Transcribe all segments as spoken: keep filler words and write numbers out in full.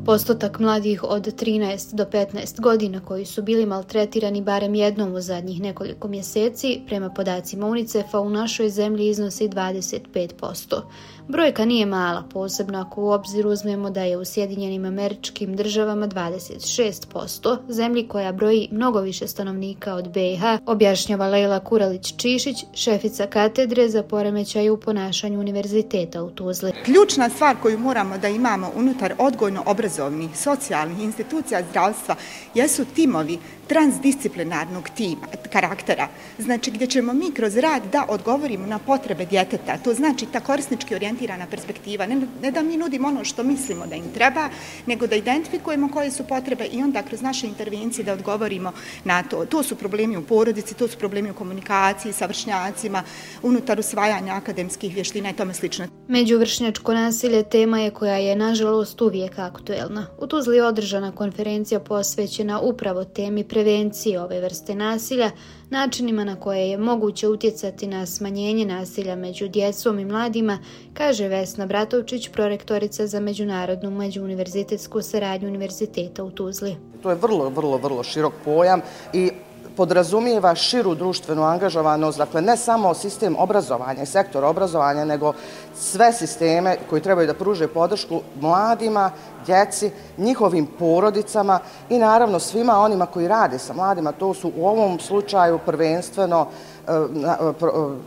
Postotak mladih od trinaest do petnaest godina koji su bili maltretirani barem jednom u zadnjih nekoliko mjeseci, prema podacima UNICEF-a u našoj zemlji iznosi dvadeset pet posto. Brojka nije mala, posebno ako u obzir uzmemo da je u Sjedinjenim Američkim Državama dvadeset šest posto, zemlji koja broji mnogo više stanovnika od be i ha, objašnjava Lejla Kuralić-Čišić, šefica katedre za poremećaje u ponašanju Univerziteta u Tuzli. Ključna stvar koju moramo da imamo unutar odgojno-obrazovnih, socijalnih institucija zdravstva jesu timovi transdisciplinarnog tima, karaktera. Znači gdje ćemo mi kroz rad da odgovorimo na potrebe djeteta. To znači ta korisnički orijentirana perspektiva. Ne, ne da mi nudimo ono što mislimo da im treba, nego da identifikujemo koje su potrebe i onda kroz naše intervencije da odgovorimo na to. To su problemi u porodici, to su problemi u komunikaciji sa vršnjacima, unutar usvajanja akademskih vještina i tome slično. Međuvršnjačko nasilje tema je koja je nažalost uvijek aktuelna. U Tuzli je održana konferencija posvećena upravo temi prevencije ove vrste nasilja, načinima na koje je moguće utjecati na smanjenje nasilja među djecom i mladima, kaže Vesna Bratovčić, prorektorica za međunarodnu međuuniverzitetsku saradnju Univerziteta u Tuzli. To je vrlo, vrlo, vrlo širok pojam i podrazumijeva širu društvenu angažovanost, dakle ne samo sistem obrazovanja i sektor obrazovanja, nego sve sisteme koji trebaju da pruže podršku mladima, djeci, njihovim porodicama i naravno svima onima koji rade sa mladima. To su u ovom slučaju prvenstveno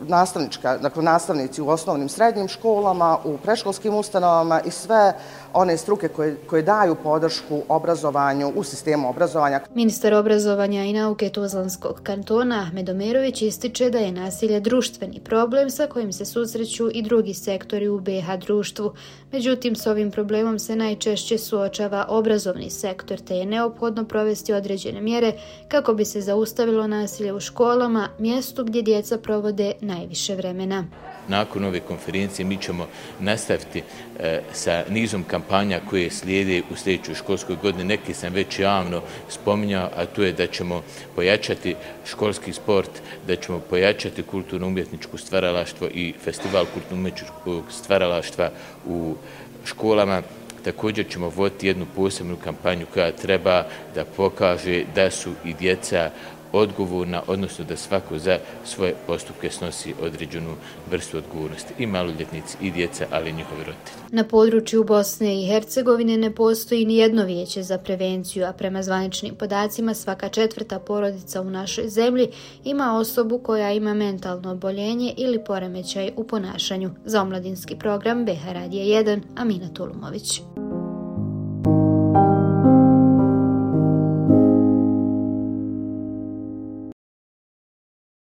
nastavnička, dakle nastavnici u osnovnim srednjim školama, u predškolskim ustanovama i sve one struke koje, koje daju podršku obrazovanju u sistemu obrazovanja. Ministar obrazovanja i nauke Tuzlanskog kantona Ahmed Omerović ističe da je nasilje društveni problem sa kojim se susreću i drugi sektori u be i ha društvu. Međutim, s ovim problemom se najčešće suočava obrazovni sektor, te je neophodno provesti određene mjere kako bi se zaustavilo nasilje u školama, mjestu gdje djeca provode najviše vremena. Nakon ove konferencije mi ćemo nastaviti e, sa nizom kampanja koje slijede u sljedećoj školskoj godini. Neki sam već javno spominjao, a to je da ćemo pojačati školski sport, da ćemo pojačati kulturno-umjetničko stvaralaštvo i festival kulturno-umjetničkog stvaralaštva u školama. Također ćemo voditi jednu posebnu kampanju koja treba da pokaže da su i djeca odgovorna, odnosno da svako za svoje postupke snosi određenu vrstu odgovornosti. I maloljetnici, i djeca, ali i njihovi roditelji. Na području Bosne i Hercegovine ne postoji ni jedno vijeće za prevenciju, a prema zvaničnim podacima svaka četvrta porodica u našoj zemlji ima osobu koja ima mentalno oboljenje ili poremećaj u ponašanju. Za omladinski program be ha Radija jedan, Amina Tulumović.